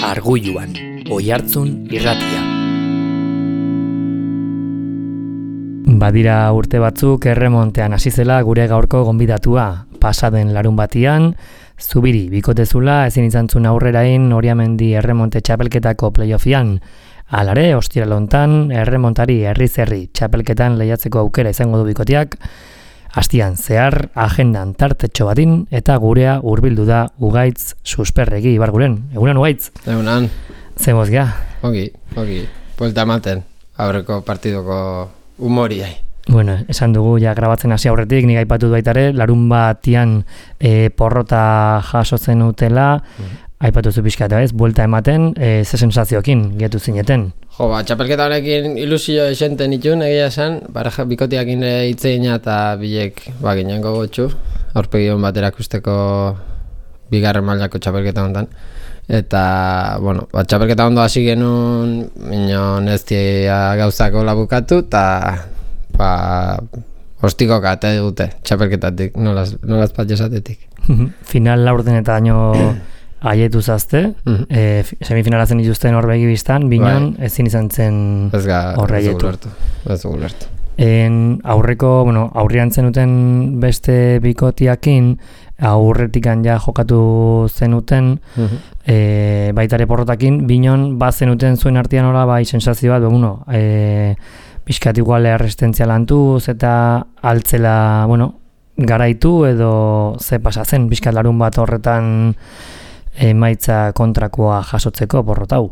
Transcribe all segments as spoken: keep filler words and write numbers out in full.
Argulluan, Oihartzun irratia. Badira urte batzuk erremontean hasi zela gure gaurko gonbidatua. Pasaden larun batian, Zubiri bikotezula ezin izan zuen aurrerain Oriamendi erremonte txapelketako playoffian. Alare, ostiral hontan, erremontari herri-zerri txapelketan lehiatzeko aukera izango du bikoteak. Astian zehar, agendan tartetxo batin, eta gurea hurbildu da Ugaitz Susperregi Ibarguren. Egunan, Ugaitz? Egunan. Zemoz gea? Ogi, ogi. Buelta ematen, aurreko partidoko humoriai. Bueno, esan dugu, ja grabatzen hasi aurretik, nik aipatu du baitare, larun batian e, porrota jasotzen utela, mm. aipatu zu pixkata ez, buelta ematen, e, ze sensazioekin getu zineten. Jo, ba, txapelketa honekin ilusio esenten itun, egia esan, bareja bikotiakin hitzeina eta bilek ba, ginen gogotxu, aurpegion bat erakusteko bigarren mailako txapelketa honetan. Eta, bueno, ba, txapelketa ondo hasi genuen, minon ez tia gauzako labukatu, eta ba, ostiko kate dute txapelketatik, nolaz, nolaz bat jasatetik. Final laurden eta daño aietu zazte, mm-hmm. e, semifinalazen dituzten horbegi biztan, binon bai. Ezin izan zen horre aietu. Ez gulertu. En aurreko, bueno, aurrian zenuten beste bikotiakin, aurretikan ja jokatu zenuten, mm-hmm. e, baitare porrotakin, binon bat zenuten zuen artean hola bai sensazio bat, bueno, e, pixkat iguale erresistentzia lantuz eta altzela, bueno, garaitu edo ze pasa zen, pixkat larun bat horretan emaitza kontrakoa jasotzeko porrotau.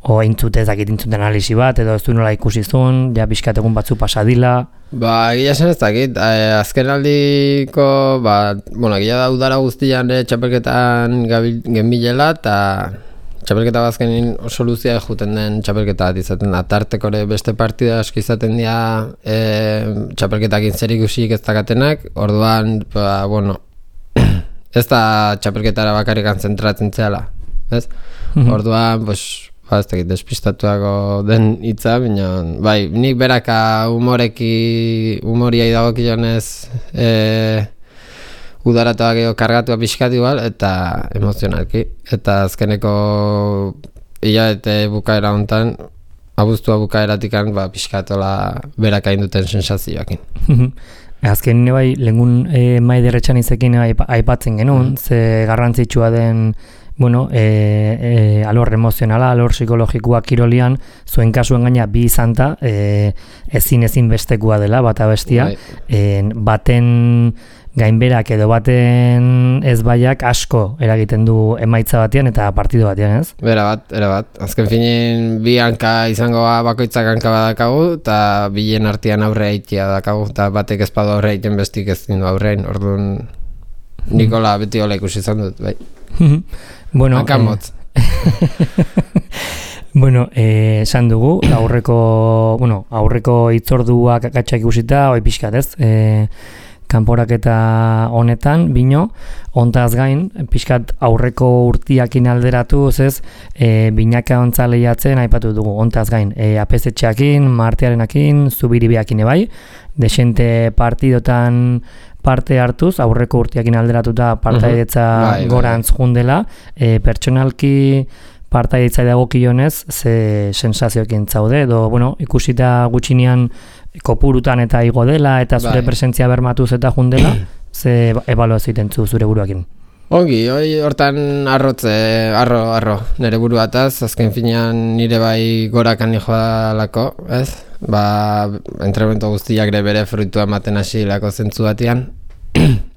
O eintzute ezakit intzuten analisi bat, edo ez du nola ikusi zuen, ja pixkat egun batzu pasadila. Ba, egia zen ez dakit, eh, azken aldiko, ba, bueno, egia da udara guztian eh, txapelketan genbilela, eta txapelketa bazkenin soluzia juten den txapelketa bat izaten da. Tartekore beste partida aski izaten dira eh, txapelketakin zer ikusik ez dakatenak, orduan, ba, bueno, ez da txapelketara bakarrikan zentratzen zehala, ez? Mm-hmm. Orduan, pues, ba, ez dakit, despistatuako den hitza, baina, bai, nik beraka humoreki, humoriai dagokionez e, udaratuak edo kargatua pixkat igual, eta emozionalki. Eta azkeneko hilabete bukaera hontan, abuztua bukaeratikan, ba, pixkatola beraka induten sensazioakin. Azken nire bai, lehengun e, maiderretxan izekin aipatzen genuen, mm. ze garrantzitsua den, bueno, e, e, alor emozionala, alor psikologikoa kirolian, zuen kasuen gaina bi izanta, e, ezin ezin bestekua dela, bata bestia, e, baten gainberak edo baten ezbaiak asko eragiten du emaitza batean eta partido batean, ez? Bera bat, era bat. Azken finin bi hanka izango bakoitzak hanka badakagu eta bilen artean aurre eitia dakagu eta batek ezpadu aurre eiten bestik ez dindu aurrein, orduan Nikola beti hola ikusi izan dut, bai. Bueno, hanka motz. Bueno, eh, esan dugu, aurreko, bueno, aurreko hitzorduak akatsak ikusita, hoi pixkat, ez? Eh, kanporaketa honetan, bino, ontaz gain, pixkat aurreko urtiakin alderatu, ez, e, binaka ontza lehiatzen, aipatu dugu, ontaz gain, e, apezetxeakin, martearenakin, zubiribiakin ebai, desente partidotan parte hartuz, aurreko urtiakin alderatuta partaidetza uh-huh. bai, gorantz bai. Jundela, e, pertsonalki partaidetza dagokionez, ze sensazioekin zaude, edo, bueno, ikusita gutxinean kopurutan eta igo dela, eta zure bai. Presentzia bermatuz eta jundela, ze ebaluazio egiten zure buruakin. Ongi, hoi hortan arrotze, arro, arro, nire buruataz, azken finean nire bai gorakan joalako, ez? Ba, entrenamiento guztiak ere bere fruitua ematen hasi lako zentzu batean.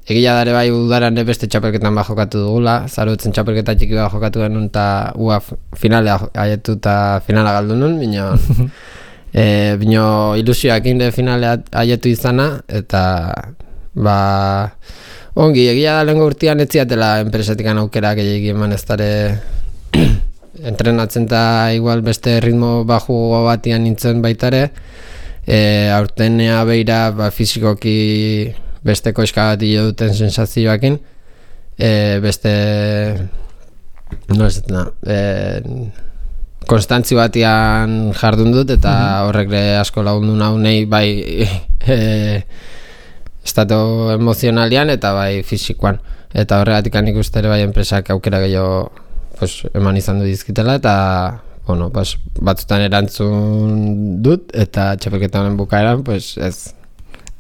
Egia dare bai udaran beste txapelketan bat jokatu dugula, zarutzen txapelketa txiki bat jokatu genuen eta ua finalea aietu eta finala galdu nun, bino, e, bino ilusioak inde finalea aietu izana, eta ba, ongi, egia da lehenko urtean ez ziatela enpresatikan aukera gehiagi eman ez dara entrenatzen eta igual beste ritmo baju batian nintzen baitare, e, aurtenea beira ba, fizikoki beste koiska bat hile duten sensazioakin, e, beste, no ez da, e, konstantzi batian jardun dut, eta mm-hmm. horrek asko lagundu nahu nahi bai e, estatu emozionalian eta bai fisikoan. Eta horregatik nik uste ere bai enpresak aukera gehiago pues, eman izan du dizkitela, eta bueno, pues, batzutan erantzun dut, eta txapelketaren bukaeran, pues, ez.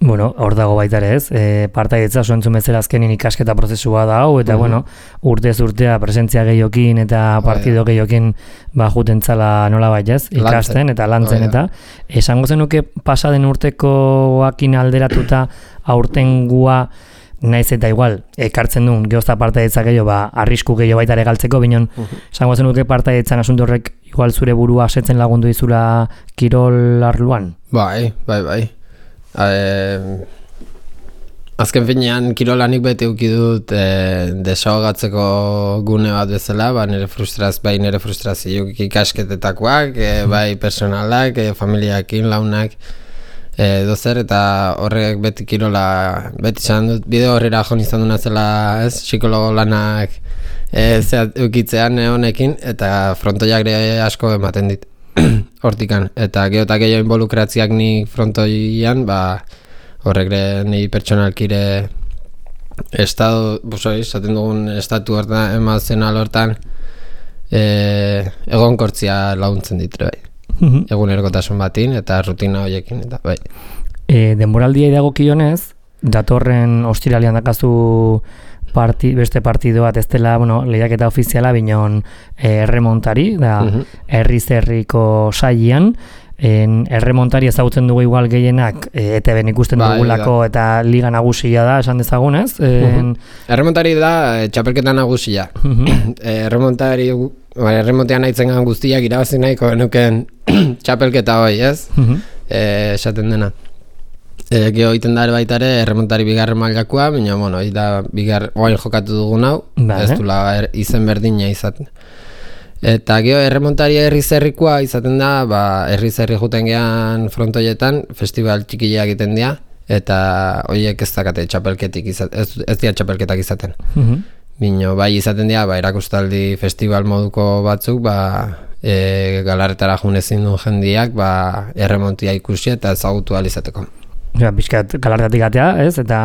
Bueno, hor dago baita ere ez, e, partaidetza soentzun bezala azkenin ikasketa prozesua da hau, eta uh-huh. bueno, urtez urtea presentzia gehiokin eta partido gehiokin ba, juten zala nola ez, ikasten eta lantzen, eta esango zenuke pasaden urtekoakin alderatuta aurtengua naiz eta igual, ekartzen duen geozta partaidetza gehiago, ba, arrisku gehiago baita ere galtzeko, binon, uh-huh. esango zenuke partaidetzan asunto horrek igual zure burua setzen lagundu izula kirol arluan? Bai, bai, bai. E, azken finean kirolanik beti uki dut e, desahogatzeko gune bat bezala, ba, nire frustraz, bai nire frustrazio ikasketetakoak, e, bai personalak, e, familiakin, launak, e, dozer, eta horrek beti kirola, beti izan dut, bide horrera joan izan duna zela, ez, psikologo lanak e, zeat, ukitzean honekin, eta frontoiak asko ematen dit. Hortikan, eta gero eta gehiago involukratziak ni frontoian, ba, horrek ni pertsonalkire estado, busoi, esaten dugun estatu hortan, emazional hortan, e, egonkortzia laguntzen ditre, bai. Mm-hmm. Egunerkotasun batin, eta rutina horiekin, eta bai. E, denboraldia idagokionez, datorren ostiralean dakazu Parti, beste partido bat ez dela, bueno, lehiaketa ofiziala binon eh, erremontari, da uh-huh. herri-zerriko sailean, en, erremontari ezagutzen dugu igual gehienak e, E T B ikusten ba, dugulako da. Eta liga nagusia da, esan dezagunez. En... Uh-huh. Erremontari da, e, txapelketa nagusia. Uh-huh. Erremontari, ba, erremontean nahitzen gan guztiak irabazi nahiko genuken txapelketa hoi, ez? Uh-huh. E, esaten dena. E, Geho iten da baita ere erremontari bigarren mailakoa, baina bueno, da bigar oain jokatu dugun hau, ez dula er, izen berdina izaten. Eta geho erremontari herri-zerrikoa izaten da, ba, herri-zerri juten gehan frontoietan, festival txikileak egiten dira, eta horiek ez dakate txapelketik izaten, ez, ez dira txapelketak izaten. Uh-huh. Bino, bai izaten dira, ba, erakustaldi festival moduko batzuk, ba, e, galarretara junezin duen jendiak, ba, erremontia ikusi eta ezagutu alizateko. Ja, bizkat galartatik atea, ez? Eta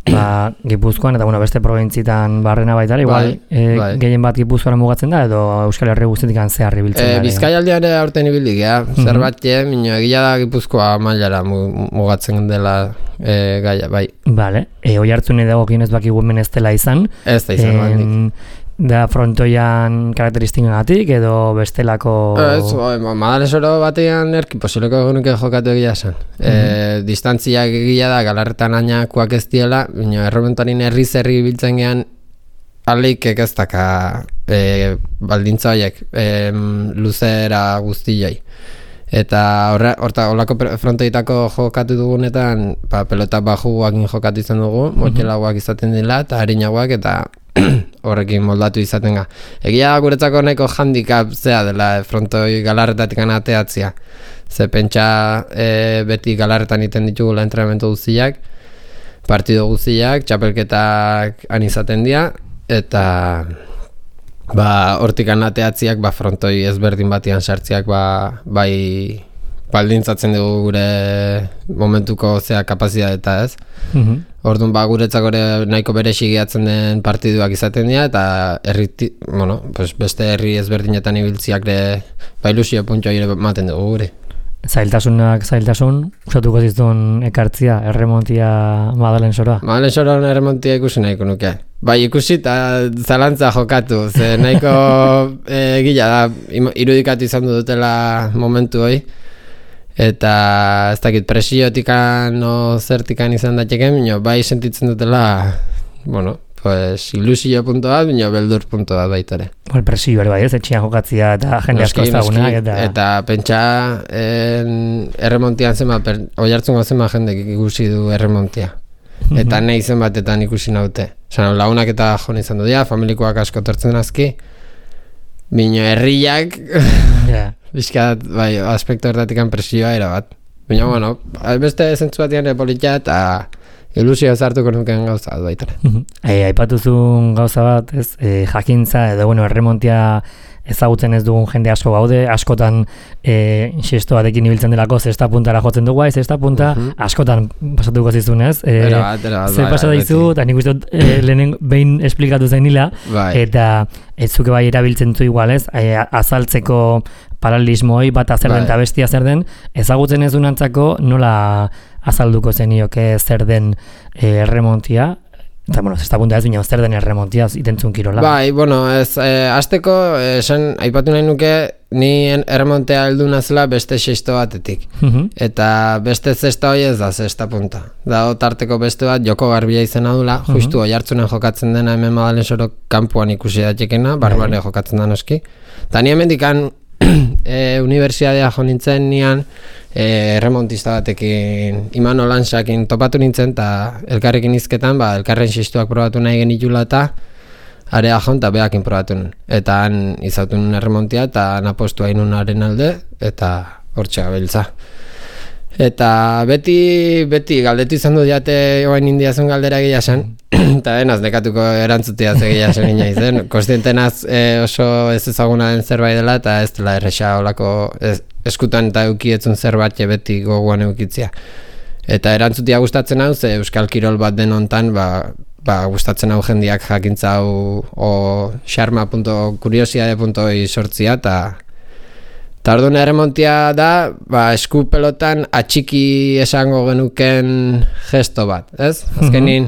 ba, Gipuzkoan, eta bueno, beste probintzitan barrena baita, igual bai, e, bai. Gehien bat Gipuzkoan mugatzen da, edo Euskal Herri guztetik zeharri biltzen da. E, Bizkaialdean ere aurten ibildik, ja? Mm-hmm. Zerbait, minio, egia da Gipuzkoa mailara mugatzen dela e, gaia, bai. Vale, e, oi hartzun edagokien ez bakigu hemen ez dela izan. Ez da izan, bandik. Da frontoian karakteristikagatik edo bestelako... Ez, madalesoro batean erki posileko egunuke jokatu egia esan. Mm-hmm. E, distantziak egia da galarretan ainakoak ez diela, baina erromentorin herri-zerri biltzen gean alik ekeztaka e, baldintza horiek e, luzera guztioi. Eta horra, horta, horlako frontoitako jokatu dugunetan, ba, pelota bajuak jokatu izan dugu, motxelagoak izaten dela, eta harinagoak, eta horrekin moldatu izaten ga. Egia guretzako nahiko handicap zea dela frontoi galarretatik anateatzia. Ze pentsa e, beti galarretan iten ditugula entrenamentu guztiak, partido guztiak, txapelketak han izaten dira, eta ba, hortik anateatziak ba, frontoi ezberdin batian sartziak ba, bai baldintzatzen dugu gure momentuko zea kapazitatea, ez? Mm-hmm. Orduan ba guretzako nahiko beresi gehatzen den partiduak izaten dira, eta herri, bueno, pues beste herri ezberdinetan ibiltziak ere ba ilusio puntua ere ematen dugu gure. Zailtasunak zailtasun, usatuko zizun ekartzia, erremontia Madalen soroa? Madalen soroa erremontia ikusi nahiko nuke. Bai, ikusi eta zalantza jokatu, ze nahiko egila da, irudikatu izan dutela momentu hoi. Eta ez dakit presiotikan o zertikan izan daiteken, bino, bai sentitzen dutela, bueno, pues ilusio punto bat, bino beldur punto bat baitare. Well, presio ere bai, ez etxian jokatzia eta jende asko ezagunak. Eta... eta pentsa en, erremontian zema, per, oi hartzungo zema jendek ikusi du erremontia. Eta nahi zen batetan ikusi naute. Osa, lagunak eta jone izan du dira, familikoak asko tortzen azki, bino herriak... Yeah. Bizkat, bai, aspektu horretatik presioa era bat. Baina, bueno, beste zentzu batian politia eta ilusio zartuko nuken gauza bat baitara. E, aipatuzun gauza bat, ez, e, jakintza edo, bueno, erremontia ezagutzen ez dugun jende asko gaude, askotan e, xesto batekin ibiltzen delako zesta puntara jotzen dugu, zesta punta uh-huh. askotan pasatuko zizun, ez? E, era bat, era bat, zer pasatu dizu, eta nik uste dut e, lehenen behin esplikatu zen nila, bai. Eta ez zuke bai erabiltzen zu igual, ez? E, azaltzeko paralelismoi bat zer den eta bestia zer den, ezagutzen ez dunantzako nola azalduko zenioke zer den e, erremontia, eta, bueno, zesta punta ez bine, zer den erremontia itentzun kirola. Bai, bueno, ez, e, azteko, esan, aipatu nahi nuke, ni erremontea heldu nazela beste sexto batetik. Uh-huh. Eta beste zesta hori ez da zesta punta. Da, tarteko beste bat, joko garbia izena dula, uh-huh. justu oi hartzunen jokatzen dena hemen Madalen Soro kanpuan ikusi datekena, barbare uh-huh. jokatzen da noski. Eta ni hemendikan e, unibertsiadea jo nintzen nian, e, erremontista batekin Imano Lansakin topatu nintzen, eta elkarrekin izketan, ba, elkarren xistuak probatu nahi genitula eta area joan eta behakin probatu nun. Eta han izautu nun erremontia eta han apostu hain nunaren alde, eta hortxe gabiltza. Eta beti, beti galdetu izan du diate oain indiazun galdera egia zen, eta denaz nekatuko erantzutia egia zen gina izen. Konstientenaz e, oso ez ezaguna den zerbait dela, eta ez dela erresa olako ez, eskutan eta eukietzun zerbait beti goguan eukitzia. Eta erantzutia gustatzen hau, ze euskal kirol bat den hontan, ba, ba, gustatzen hau jendiak jakintza hau o xarma punto kuriosiade punto i sortzia, eta eta orduan erremontia da, ba, esku pelotan atxiki esango genuken gesto bat, ez? Azkenin,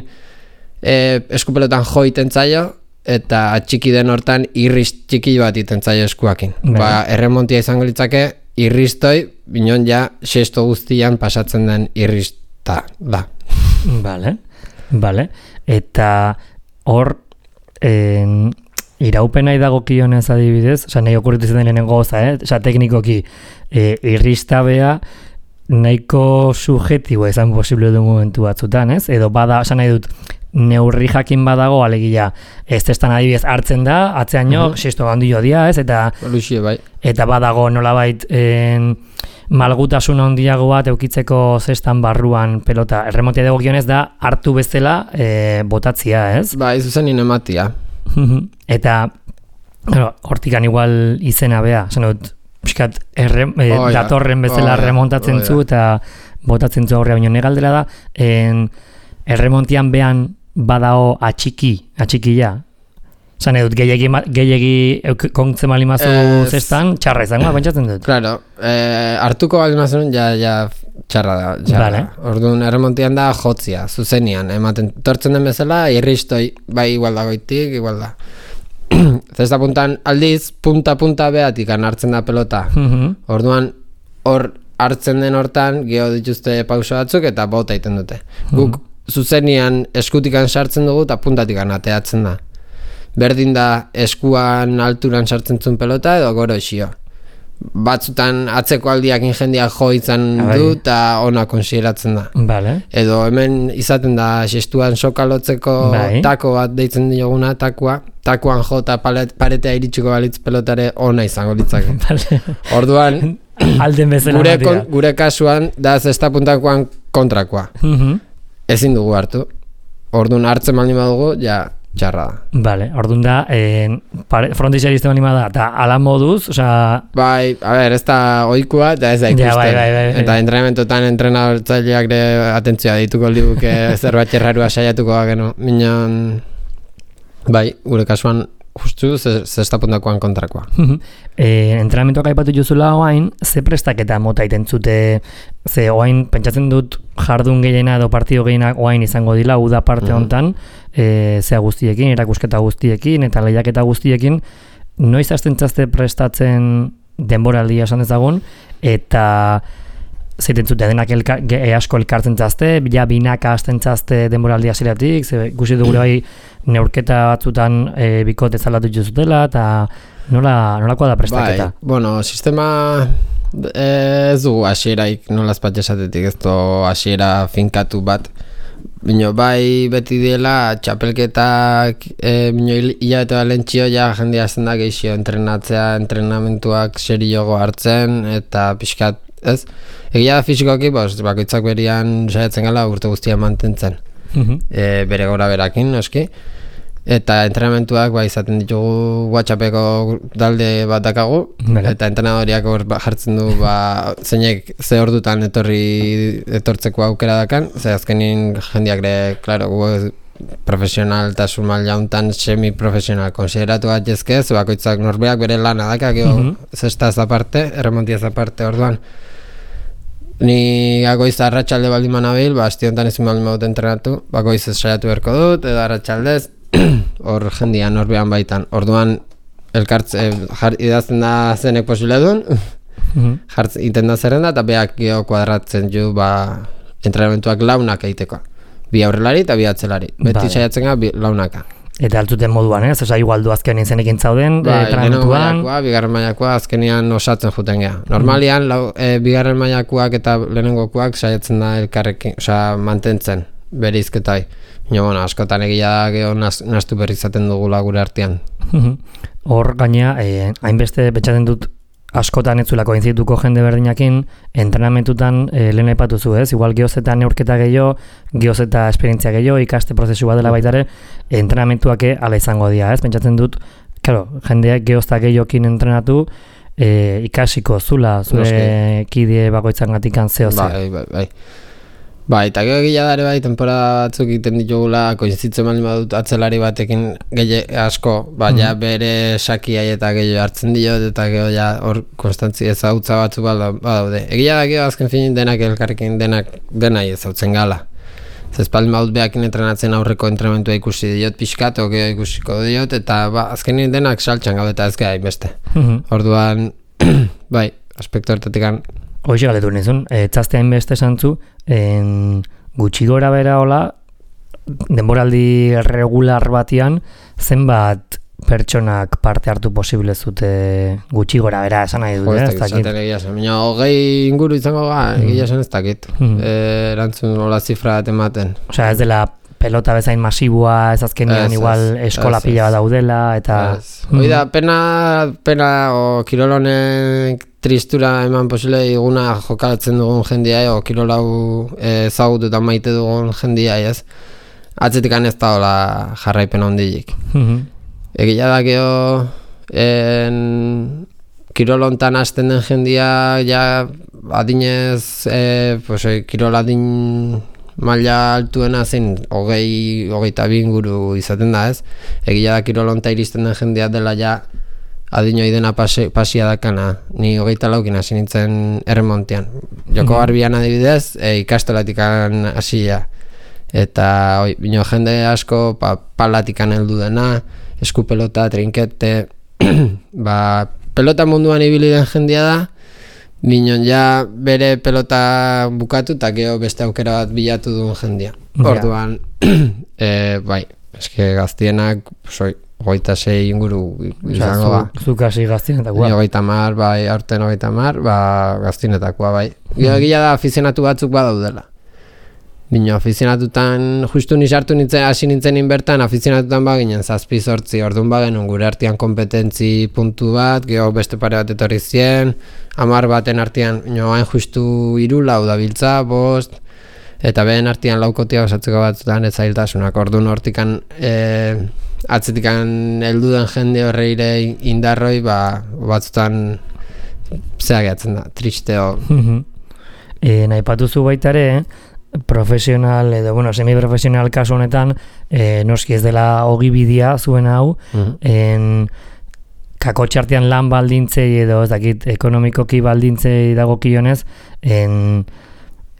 e, esku pelotan jo iten zaio, eta atxiki den hortan irriz txiki bat iten zaio eskuakin. Ba, erremontia izango litzake, irriztoi, binon ja, sesto guztian pasatzen den irrizta da. Vale, vale. Eta hor, en, iraupena idagokionez adibidez, oza, nahi okurritu zen lehenengo goza, eh? Oza, teknikoki, e, irriztabea nahiko subjetibo izan posible du momentu batzutan, ez? Edo bada, oza, nahi dut, neurri jakin badago, alegia, ez testan adibidez hartzen da, atzean jo, uh-huh. sesto gandio dia, ez? Eta, Luxie, bai. Eta badago nolabait en, malgutasun handiago bat eukitzeko zestan barruan pelota. Erremontia dagokionez da hartu bezala e, botatzia, ez? Ba, ez zen inematia. Eta bueno, hortikan igual izena bea, esan dut, piskat erre, e, oh, datorren bezala oh, remontatzen oh, zu eta botatzen zu aurrea, baino negaldela da, en, erremontian behan badao atxiki, atxikia. Zan edut, gehiagi, gehiagi kontzen bali mazu es... zestan, txarra izango, pentsatzen dut. Claro, eh, hartuko bali mazun, ja, ja txarra da. Txarra. Vale. Orduan, erremontian da jotzia, zuzenian, ematen tortzen den bezala, irristoi, bai igual dagoitik, igual da. Zesta puntan aldiz, punta-punta behatikan hartzen da pelota. Uh-huh. Orduan, hor hartzen den hortan, geho dituzte pauso batzuk, eta bota iten dute. Uh-huh. Guk, zuzenian eskutikan sartzen dugu, eta puntatikan ateatzen da. Berdin da eskuan alturan sartzen zuen pelota edo goro esio. Batzutan atzeko aldiak jendeak jo izan du eta ona konsideratzen da. Vale. Edo hemen izaten da xestuan sokalotzeko bai. Tako bat deitzen dioguna, takoa. Takoan jo eta paretea iritsiko balitz pelotare ona izango litzake. Vale. Orduan, alden bezala gure, kon, gure kasuan da zesta puntakoan kontrakoa. Uh-huh. Ezin dugu hartu. Orduan hartzen baldin badugu, ja, txarra da. Vale, orduan da, eh, frontizia izte bali da, eta ala moduz, oza... Bai, a ber, ez da oikua, eta ez da ikusten. Ja, bai, bai, bai, bai. Eta entrenamentotan entrenatzaileak de atentzioa dituko liguke zerbait errarua saiatuko geno. Minon, bai, gure kasuan, justu, zesta puntakoan kontrakoa. e, entrenamentoak aipatu juzula oain, ze prestaketa mota itentzute, ze oain, pentsatzen dut jardun gehiena edo partido gehienak oain izango dila, uda parte uh-huh. hontan, e, zea guztiekin, erakusketa guztiekin, eta lehiaketa guztiekin, noiz hasten txazte prestatzen denboraldia esan dezagun, eta zeiten zute denak elka, ge, asko elkartzen txazte, ja binaka hasten txazte denboraldia zelatik, ze guzi dugure bai neurketa batzutan e, bikote zalatu juzutela, eta nola, nolakoa da prestaketa? Bai, bueno, sistema ez du hasieraik nola azpat esatetik, ez du hasiera finkatu bat. Bino, bai beti diela txapelketak e, bino hilabete balentxio ja jendia azten da gehixio entrenatzea, entrenamentuak seriogo hartzen eta pixkat, ez? Egia da fizikoki, bos, bakoitzak berian saiatzen gala urte guztia mantentzen. Uh-huh. E, bere gora berakin, noski. Eta entrenamentuak ba, izaten ditugu WhatsAppeko dalde bat dakagu, Bele. Eta entrenadoriak hor ba, jartzen du ba, zeinek ze ordutan etorri etortzeko aukera dakan, ze azkenin jendiak ere, klaro, gu profesionaltasun maila hontan semi-profesional konsideratu gaitezke, ze bakoitzak norbeak bere lana daka, gero mm -hmm. zestaz aparte, erremontiaz aparte, orduan. Ni goiz arratsalde baldin manabil, ba, asti honetan ezin baldin badut entrenatu, ba, goiz ez saiatu berko dut, edo arratsaldez, hor jendia norbean baitan. Orduan, elkartze, jar, idazten da zenek posible duen, mm-hmm. jartzen iten da zerrenda, eta beak geho kuadratzen ju, ba, entrenamentuak launak egiteko. Bi aurrelari eta bi atzelari. Beti vale. Saiatzen ga, bi launaka. Eta altzuten moduan, ez? Osa, igual du azkenean zenekin zauden, ba, entrenamentuan. Maiakoa, bigarren mailakoa azkenean osatzen juten geha. Normalian, mm. lau, e, bigarren mailakoak eta lehenengokoak saiatzen da elkarrekin, osa, mantentzen, berizketai. Baina, bueno, askotan egia da, geho nastu berri izaten dugula gure artean. Hor, gaina, eh, hainbeste betxaten dut, askotan ez zulako inzituko jende berdinakin, entrenamentutan eh, lehen aipatu zu, ez? Igual gehoz eta neurketa gehiago, gehoz eta esperientzia gehiago, ikaste prozesu bat dela baitare, entrenamentuake ala izango dira, ez? Pentsatzen dut, claro, jendeak gehoz eta gehiokin entrenatu, eh, ikasiko zula, zure kide bakoitzan gatikan zeo ze. Bai, bai, bai. Ba, eta gero gila dare bai, temporada batzuk egiten ditugula, koinzitzen baldin badut atzelari batekin gehi asko, ba, ja bere sakia eta gehiago hartzen diot, eta gero ja hor konstantzi ezagutza batzu badaude. Egia da gero azken finin denak elkarrekin denak denai ezautzen gala. Zez baldin badut behakin entrenatzen aurreko entrenamentua ikusi diot pixkat, o gero ikusiko diot, eta ba, azkenin denak saltxan gaude eta ez gara inbeste. Orduan, bai, aspektu hortatikan. Hoxe galetu nizun, etzaztean beste santzu, en gutxi gora bera hola, denboraldi regular batian, zenbat pertsonak parte hartu posible zute gutxi gora bera, esan nahi dut, ez dakit. Baina hogei inguru izango ga, egia esan ez dakit, erantzun hola zifra bat ematen. Osea, ez dela pelota bezain masibua, ez azkenean igual eskola pila bat daudela, eta... Hoi da, pena, pena, o kirolonek tristura eman posible iguna jokalatzen dugun jendia, o kirolau ezagutu eta maite dugun jendia, ez? Atzetikan ez da hola jarraipen hondilik. Egia da geho, en, kirolontan hasten den jendia, ja, adinez, e, pues, e, kirol adin maila altuena zen, hogei, hogeita bi inguru izaten da, ez? Egia da kirolonta iristen den jendia dela ja, adinoi dena pasi, pasia dakana, ni hogeita laukin hasi nintzen erremontean. Joko garbian adibidez, e, ikastolatikan hasia. Eta oi, bino jende asko pa, palatikan heldu dena, eskupelota, trinkete, ba, pelota munduan ibili den jendia da, bino ja bere pelota bukatu eta gero beste aukera bat bilatu duen jendia. Orduan, e, bai, eske gaztienak, soi, hogeita sei inguru izango ba. Zuk hasi gaztienetakoa. Hogeita mar, bai, aurten hogeita mar, ba, gaztienetakoa, bai. Gero gila da afizionatu batzuk badaudela. Bino, afizionatutan, justu nisartu nintzen, hasi nintzen inbertan, afizionatutan baginen zazpi zortzi, orduan bagen gure artean kompetentzi puntu bat, gero beste pare bat etorri zien, hamar baten artean, bino, hain justu hiru lau da biltza, bost, eta behen artean laukotia osatzeko batzutan ez zailtasunak, orduan hortikan, e, atzetikan heldu den jende horreire indarroi, ba, batzutan zeageatzen da, tristeo. e, nahi patuzu baitare, profesional edo, bueno, semi-profesional kasu honetan, e, noski ez dela ogibidea zuen hau, uh-huh. en kakotxartean lan baldintzei edo, ez dakit, ekonomikoki baldintzei dagokionez, en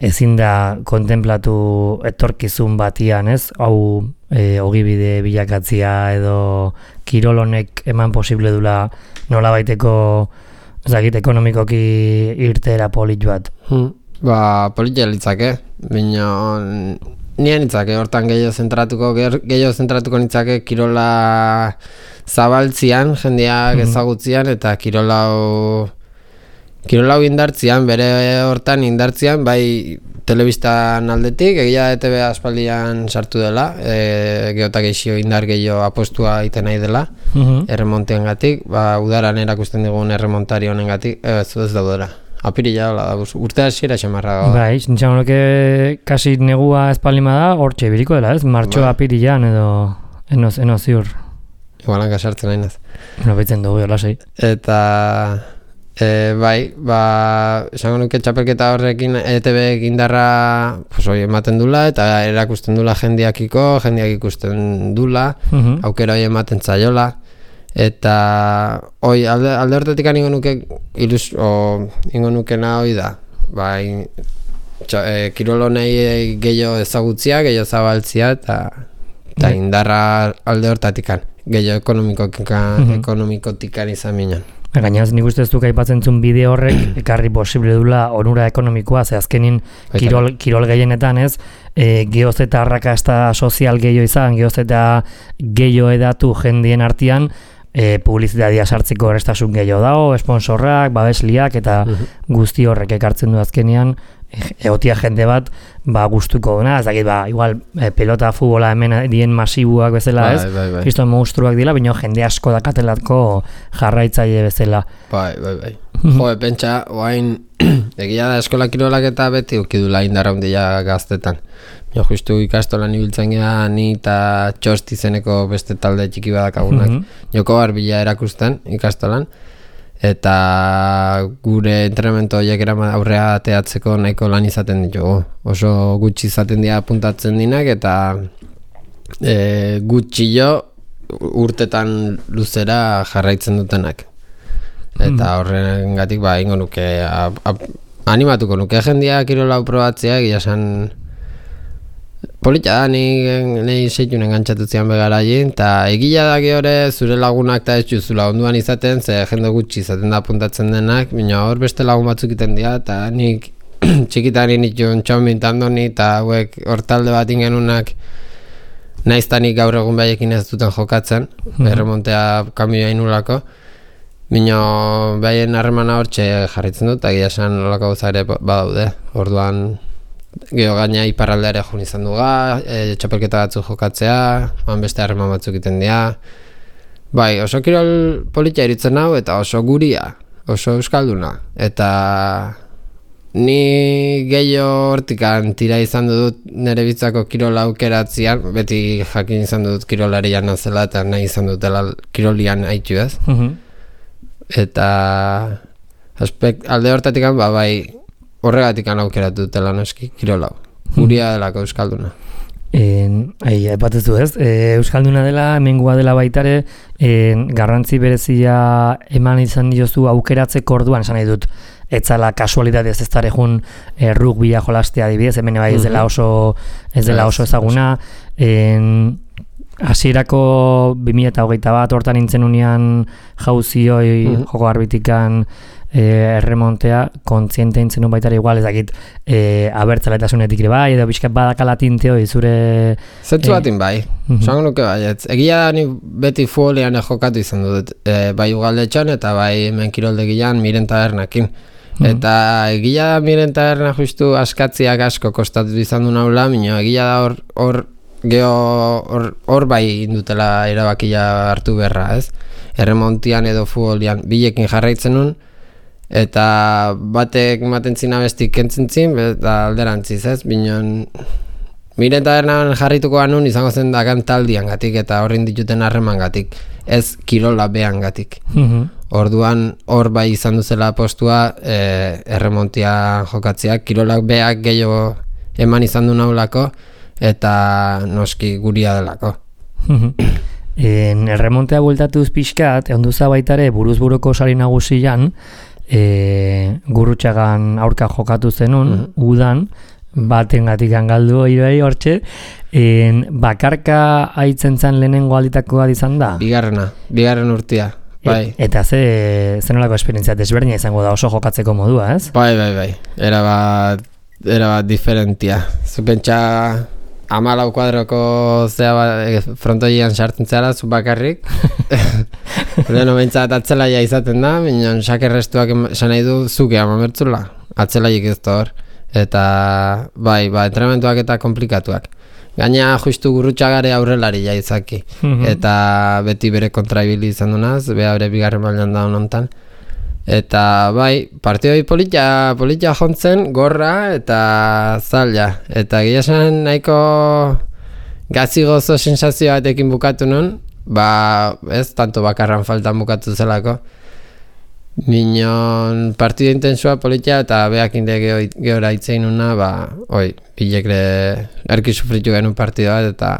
ezin da kontemplatu etorkizun batian, ez? Hau e, ogibide bilakatzia edo kirolonek eman posible dula nola baiteko, ez dakit, ekonomikoki irtera polit bat. Hmm. Ba, politia litzake, baina nien nitzake, hortan gehiago zentratuko, gehiago zentratuko nitzake kirola zabaltzian, jendeak ezagutzian, eta kirolau kirolau indartzian, bere hortan indartzian, bai telebistan aldetik, egia da E T B aspaldian sartu dela, e, geotak eixio indar gehiago apostua iten nahi dela, uh-huh. erremontean gatik, ba, udaran erakusten digun erremontari honen gatik, ez, ez daudera. Apirila, hola, urte hasiera xamarra gau. Bai, nintxan horreke kasi negua espalima da, hortxe biriko dela, ez? Martxo ba. Apirilan edo enoz, enoz ziur. Igualan kasartzen nahi naz. No baitzen dugu, hola sei. Eta, E, bai, ba, esango nuke txapelketa horrekin E T B indarra pues, oi, ematen dula eta erakusten dula jendiakiko, jendiak ikusten dula, uh-huh. aukera hori ematen zaiola. Eta oi, alde, alde hortetik ingo nuke ilus, o, ingo nukena hoi da. Bai, txa, e, kirolonei gehiago ezagutzia, gehiago zabaltzia eta, eta indarra alde hortatikan, gehiago ekonomikotikan, uh-huh. ekonomikotikan izan minan. Gainaz, nik uste ez duk aipatzen zuen bideo horrek ekarri posible dula onura ekonomikoa, ze azkenin kirol, kirol gehienetan ez, e, geoz eta arrakasta sozial gehiago izan, geoz eta gehiago edatu jendien artean, e, publizitatea sartzeko errestasun gehiago dago, esponsorrak, babesliak eta uh-huh. guzti horrek ekartzen du azkenean, egotia jende bat ba gustuko duna, ez dakit ba igual e, pelota futbola hemen dien masibuak bezala, ez? Bai, bai, bai. Kristo monstruak dira, baina jende asko dakatelatko jarraitzaile bezala. Bai, bai, bai. Jo, pentsa, oain egia da eskola kirolak eta beti ukidula indarra handia gaztetan. Jo, justu ikastolan ibiltzen gara ni eta Txosti zeneko beste talde txiki badakagunak. Mm-hmm. Joko barbila erakusten ikastolan. Eta gure entrenamendu horiek aurrea ateatzeko nahiko lan izaten ditugu. Oso gutxi izaten dira apuntatzen dinak eta e, gutxi jo urtetan luzera jarraitzen dutenak. Eta horrengatik ba ingo nuke a, a, animatuko nuke jendia kirola probatzea, egia esan polita da, nahi seitun engantzatu zian begaraien, eta egia da gehore zure lagunak eta ez juzula onduan izaten, ze jende gutxi izaten da apuntatzen denak, baina hor beste lagun batzuk iten dira, eta nik txikitan initun txomin tandoni, eta hauek hor talde bat ingenunak naiztanik gaur egun behaiekin ez duten jokatzen, mm-hmm. erremontea kamioa inulako, baina behaien harremana hortxe jarritzen dut, eta egia esan olako gauza ere badaude, orduan geho gaina iparraldeare joan izan duga, e, txapelketa batzuk jokatzea, man beste harreman batzuk iten dira. Bai, oso kirol politia iritzen hau eta oso guria, oso euskalduna. Eta ni gehiago hortikan tira izan dut nire bitzako kirola aukeratzean, beti jakin izan dut kirolarian nazela eta nahi izan dutela kirolian haitu ez. Uh-huh. Eta aspekt, alde hortatik ba, bai, horregatik aukeratu dutela noski kirolau. Guria delako euskalduna. En, ai, epatezu ez, e, euskalduna dela, hemengua dela baitare, en, garrantzi berezia eman izan diozu aukeratzeko orduan, esan nahi dut, etzala kasualitatez ez dara egun e, rugbia jolastea adibidez, hemen bai ez dela oso, ez dela oso ezaguna, en, hasierako bi mila hogeita bat hortan nintzen unian jauzioi uh-huh. joko arbitikan e, erremontea, kontziente nintzen un baitara igual, ez dakit e, abertzaletasunetik ere bai, edo bizkat badakala tinteo zure... Zetzu batin bai, uh-huh. Zango nuke bai, ez, egia da ni beti futbolean jokatu izan dut, e, bai ugaldetxon eta bai hemen kiroldegian miren tabernakin. Uh-huh. Eta egia da miren taberna justu askatziak asko kostatu izan du naula, minio egia da hor, hor geho hor, hor bai indutela erabakia hartu berra, ez? Erremontian edo futbolian bilekin jarraitzen nun, eta batek ematen zina bestik kentzen zin, eta alderantziz, ez? Binon, miren tabernan jarrituko anun izango zen dakan taldian gatik, eta horrin dituten harreman gatik, ez kirola behan gatik. Uh-huh. Orduan hor bai izan duzela postua e, erremontia jokatziak, kirolak beak gehiago eman izan du naulako, eta noski guria delako. En erremontea bueltatuz pixkat, onduza baitare buruz buruko sari nagusian, e, Gurrutxagan aurka jokatu zenun, uh-huh. udan, batengatik galdu irai hortxe, en, bakarka aitzen zan lehenengo alditakoa izan da? Bigarrena, bigarren urtia. Bai. E, eta ze zenolako esperientzia desberdina izango da oso jokatzeko modua, ez? Bai, bai, bai. Era bat, era bat diferentia. Zupentsa amalau kuadroko zea bat, frontoian sartzen zara, zu bakarrik. Leheno behintzat atzelaia izaten da, minon sakerrestuak esan nahi du zuke amamertzula. Atzelaik ez da hor. Eta bai, ba, entrenamentuak eta komplikatuak. Gaina justu Gurrutxagare aurrelari jaizaki. Mm-hmm. Eta beti bere kontraibili izan dunaz, beha bere bigarren mailan da honontan. Eta bai, partioi politia, politia jontzen, gorra eta zaila. Eta gila esan nahiko gazi gozo sensazio batekin bukatu nun, ba ez tanto bakarran faltan bukatu zelako. Minon partido intensua politia eta beak inde gehora itzein una, ba, oi, bilekre erki sufritu genuen partido bat eta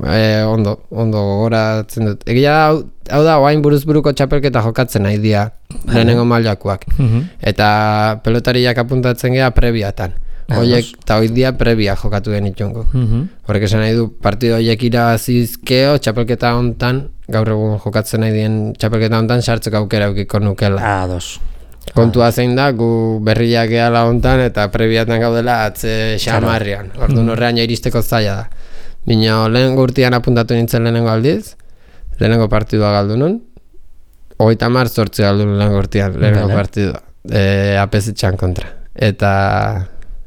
e, ondo, ondo gogoratzen dut. Egia hau, hau da, oain buruz buruko txapelketa jokatzen nahi dia, lehenengo mailakoak. Uh-huh. Eta pelotariak apuntatzen gea prebiatan. Oiek, eta hoi dia prebia jokatu genitungo. Uh-huh. Horrek esan nahi du, partido horiek irabazizkeo, txapelketa hontan, gaur egun jokatzen nahi dien txapelketa hontan, sartzeko aukera eukiko nukela. Ados. Kontua zein da, gu berriak gehala hontan, eta prebiatan gaudela atze xamarrian. Orduan horrean iristeko zaila da. Bino, lehenengo urtean apuntatu nintzen lehenengo aldiz, lehenengo partidua galdu nun, hogeita hamar zortzi galdu nun lehenengo urtean, lehenengo partidua, e, apesetxan kontra. Eta...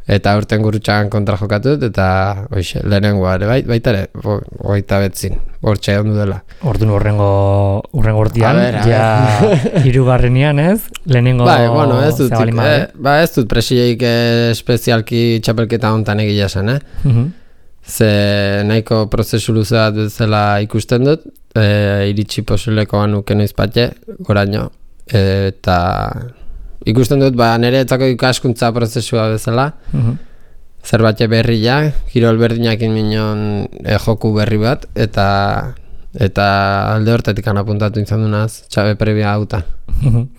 Eta urten gurutxagan kontra jokatu dut, eta oixe, lehenengoa ere, bai, baita ere, oita betzin, hortxe ondu dela. Orduan urrengo, urrengo urtean, ja hirugarrenean ez, lehenengo bai, bueno, ez dut, eh, ba, ez dut presioik eh, espezialki txapelketa hontan egia zen, eh? Uh-huh. Ze nahiko prozesu luze bat bezala ikusten dut, eh, iritsi posilekoan nuke noiz patxe, goraino, eh, eta... Ikusten dut, ba, nire etzako ikaskuntza prozesua bezala, uh-huh. Zerbait berria, kirol berdinakin minon e, joku berri bat, eta eta alde hortatik apuntatu izan dunaz, txabe prebia hauta. Uh-huh.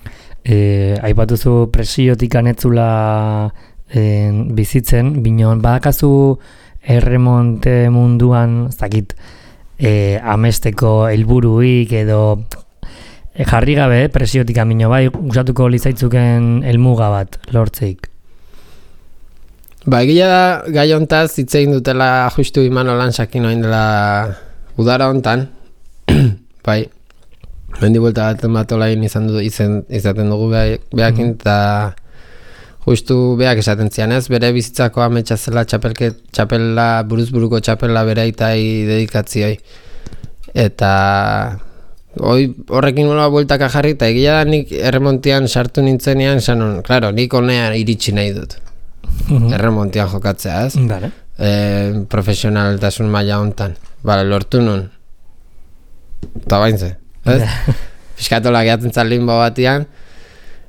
E, aipatuzu presiotik anetzula e, bizitzen, binon, badakazu erremonte munduan, zakit, e, amesteko helburuik edo... Jarri gabe, presiotik amino, bai, usatuko lizaitzuken helmuga bat, lortzeik. Ba, egia da, gai hontaz, hitzein dutela justu Imanolan sakin oin dela udara hontan, bai, mendi buelta baten bat olain izan du, izan, izaten dugu behakin, eta justu beak esaten zian ez, bere bizitzako ametsa zela txapelke, txapela, buruzburuko txapela bere aitai dedikatzioi. Eta... Hoi, horrekin nola bueltaka jarri, eta egia da nik erremontian sartu nintzenean, sanon, klaro, nik honean iritsi nahi dut. Uh-huh. Erremontian jokatzea, ez? Vale. E, profesionaltasun maila hontan. Bale, lortu nun. Eta baintze, ez? Fiskatola gehatzen limbo batian.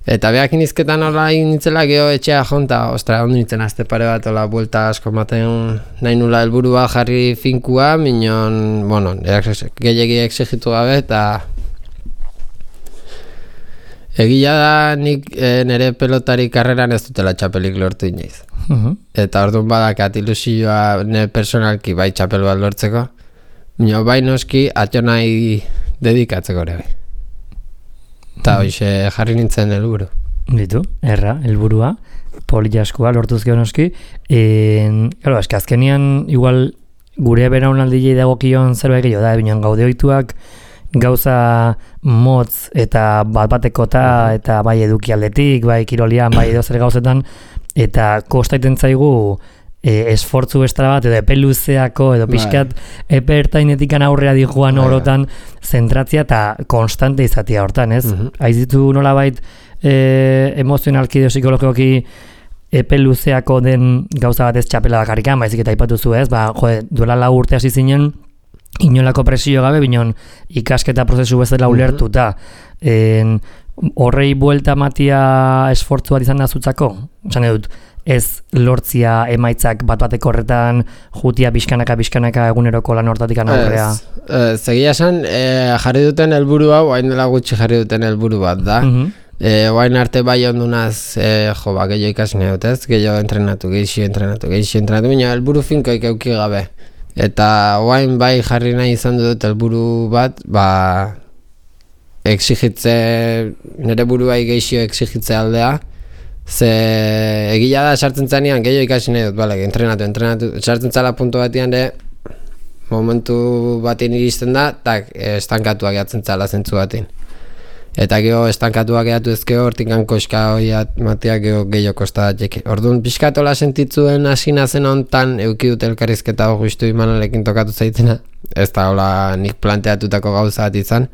Eta behakin izketan hola nintzela geho etxea jonta, ostra, ondo nintzen azte pare bat, hola, buelta asko maten nahi nula helburua jarri finkua, minon, bueno, gehiagi exigitu gabe, eta egia da nik e, nire pelotari karreran ez dutela txapelik lortu inoiz. Uh-huh. Eta orduan badakat ilusioa nire personalki bai txapel bat lortzeko, mino bai noski atxo nahi dedikatzeko ere bai. Eta hoxe jarri nintzen helburu. Ditu, erra, helburua, poliaskoa lortuz gehonoski. Claro, eski azkenian, igual, gure beraunaldilei dagokion zerbait gehiago da, binean gaude ohituak gauza motz eta bat-batekota eta bai eduki aldetik, bai kirolian, bai edo zer gauzetan, eta kostaiten zaigu E, esfortzu estara bat edo epe luzeako edo pixkat epe ertainetikan aurrea di joan orotan zentratzia eta konstante izatea hortan, ez? Uh-huh. Aizitu nolabait e, emozionalki edo psikologikoki epe luzeako den gauza bat ez txapela bakarrikan, baizik eta aipatuzu, ez? Ba, jode, duela lau urte hasi zinen inolako presio gabe, binon ikasketa prozesu bezala ulertuta. En, horrei buelta matia esfortzu bat izan da zutzako? Esan edut, ez lortzia emaitzak bat-bateko horretan jutia bizkanaka bizkanaka eguneroko lan hortatik aurrea. Ez, egia esan, e, jarri duten helburu hau, hain dela gutxi jarri duten helburu bat da. Uh-huh. E, oain arte bai ondunaz, e, jo, ba, gehiago ikasne dut ez, gehiago entrenatu, gehiago entrenatu, gehiago entrenatu, baina helburu finkoik euki gabe. Eta oain bai jarri nahi izan dut helburu bat, ba, exigitze, nire buruai gehiago exigitze aldea, ze egia da sartzen zanean gehiago ikasi nahi dut, bale, entrenatu, entrenatu, sartzen zala puntu batian de momentu batin iristen da, tak, estankatuak gehatzen zala zentzu batin. Eta geho estankatuak gehatu ezkeo, hortik koska hori matiak geho gehiago kostadatxek. Orduan, pixkatola sentitzuen asina zen hontan, euki dut elkarrizketa hor justu Imanalekin tokatu zaitena, ez da hola nik planteatutako gauza bat izan,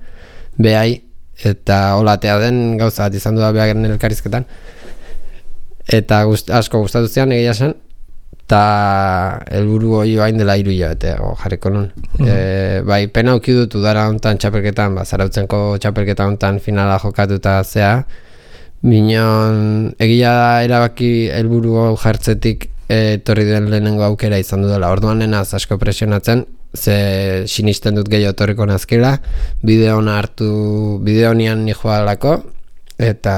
behai, eta holatea den gauza bat izan du da behar elkarrizketan. Eta gust, asko gustatu zian egia zen, eta helburu hori bain dela hiru hilabete jarriko nun. Mm. E, bai, pena auki dut udara hontan txapelketan, ba, Zarautzenko txapelketa hontan finala jokatuta zea, binon egia da erabaki helburu hau jartzetik etorri den lehenengo aukera izan dudala. Orduan nenaz asko presionatzen, ze sinisten dut gehiago etorriko nazkela, bideo hona hartu, bideo honian nijoalako, eta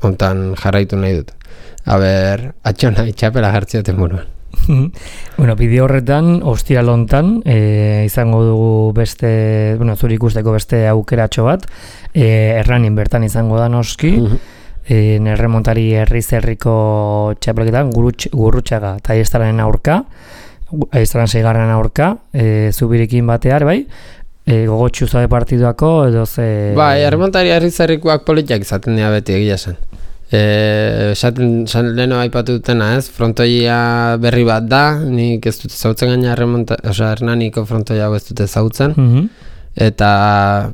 hontan jarraitu nahi dut. Aber, atxona itxapela jartzioten buruan. Bueno, bideo horretan, ostiral hontan, e, izango dugu beste, bueno, zuri ikusteko beste aukeratxo bat, e, erranin bertan izango da noski, e, erremontari herriz herriko txapelketan, Gurrutxaga eta Aiestararen aurka, Aiestararen seigarren aurka, e, zubirikin batear, bai, e, gogotxu zabe partiduako, edo ze... Bai, erremontari herriz herrikoak politiak izaten dira beti egia zen. Esaten eh, leheno aipatu dutena ez, frontoia berri bat da, nik ez dute zautzen gaina remonta, oza, Hernaniko frontoia hau ez dute zautzen, mm-hmm. eta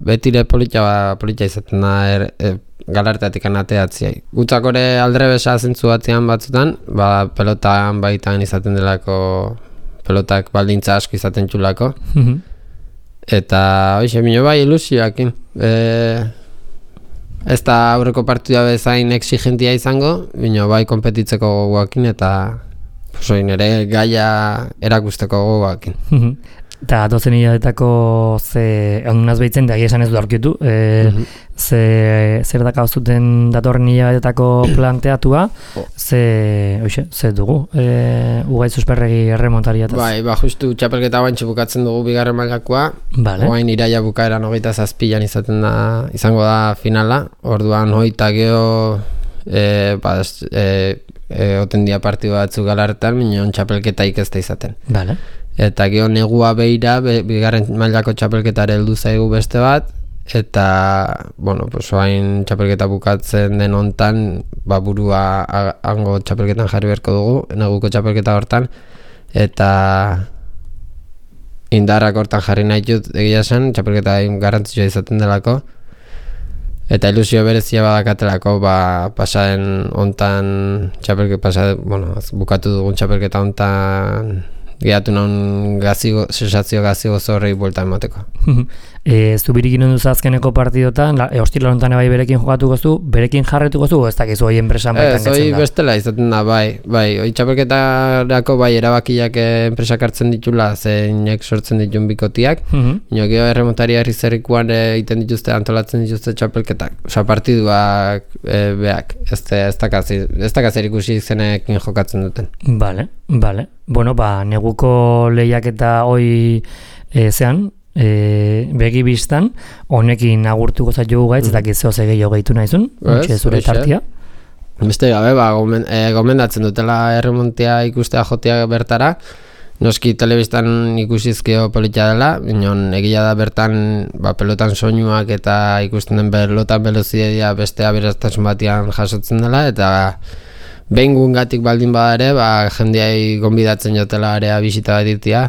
betire politia, politia izaten da er, e, galarteatik anateatziai. Gutzakore aldrebesa zentzu batzean batzutan, ba, pelotan baitan izaten delako, pelotak baldintza asko izaten txulako, mm-hmm. eta hoxe, mino bai ilusioakin. E, Ez da aurreko partida bezain exigentia izango, bino bai konpetitzeko gogoakin eta soin ere gaia erakusteko gogoakin. Eta dozen hiladetako ze ondunaz behitzen da esan ez du aurkitu, e, mm-hmm. ze, zer daka zuten datorren hiladetako planteatua, ze, oixe, ze dugu, e, Ugait Susperregi erremontariataz. Bai, ba, justu txapelketa guantxe bukatzen dugu bigarren mailakoa, vale. Oain iraia bukaeran hogeita zazpilan izaten da, izango da finala, orduan hogeita geho, e, ba, e, e, otendia partidu batzu galartan, minon txapelketaik ez da izaten. Vale. Eta gero negua beira, be, bigarren mailako txapelketare heldu zaigu beste bat, eta, bueno, pues oain txapelketa bukatzen den hontan, ba, burua hango txapelketan jarri beharko dugu, neguko txapelketa hortan, eta indarrak hortan jarri nahi dut egia zen, txapelketa garrantzitsua izaten delako, eta ilusio berezia badakatelako, ba, pasaden hontan, txapelketa, pasaden, bueno, bukatu dugun txapelketa hontan, gehatu non gazigo, sensazio gazigo zorrei buelta emateko. e, Zubirikin onduz azkeneko partidotan, e, ostila lontan bai berekin jokatuko zu, berekin jarretuko zu, ez dakizu hoi enpresan baitan getzen da? Ez, hoi bestela izaten da, bai, bai, hoi txapelketarako bai erabakiak enpresak hartzen ditula, zeinek sortzen ditun bikotiak, mm-hmm. Ino geho erremontari herri zerrikuan egiten dituzte, antolatzen dituzte txapelketak, oza, partiduak e, beak, ez dakazer ikusi zenekin jokatzen duten. Bale, bale. Bueno, ba, neguko lehiaketa hoi e, zean, e, begi biztan, honekin agurtuko zaitu gaitz, eta gizeo ze gehiago gehitu nahizun, ontsi zure tartia. Beste gabe, ba, gomen, e, gomendatzen dutela erremontea ikustea jotea bertara, noski telebistan ikusizkio politia dela, binon egia da bertan ba, pelotan soinuak eta ikusten den pelotan velozidedia beste aberaztasun batian jasotzen dela, eta behin gungatik baldin bada ere, ba, jendeai gonbidatzen jotela area bisita bat irtia,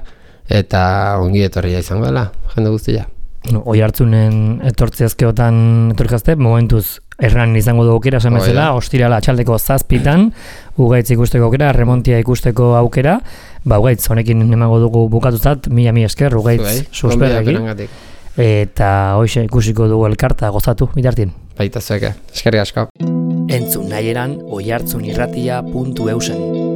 eta ongi etorria izango dela, jende guztia. No, oi hartzunen etortziazkeotan etorkazte, momentuz erran izango du aukera, esan bezala, ostirala atxaldeko zazpitan, Ugaitz ikusteko aukera, remontia ikusteko aukera, ba Ugaitz, honekin emango dugu bukatuzat, mila mi esker, Ugaitz Susperregi, eta hoxe ikusiko dugu elkarta gozatu, bitartien. Baita zueke, eskerrik asko. Entzun nahieran oihartzunirratia puntu eusen.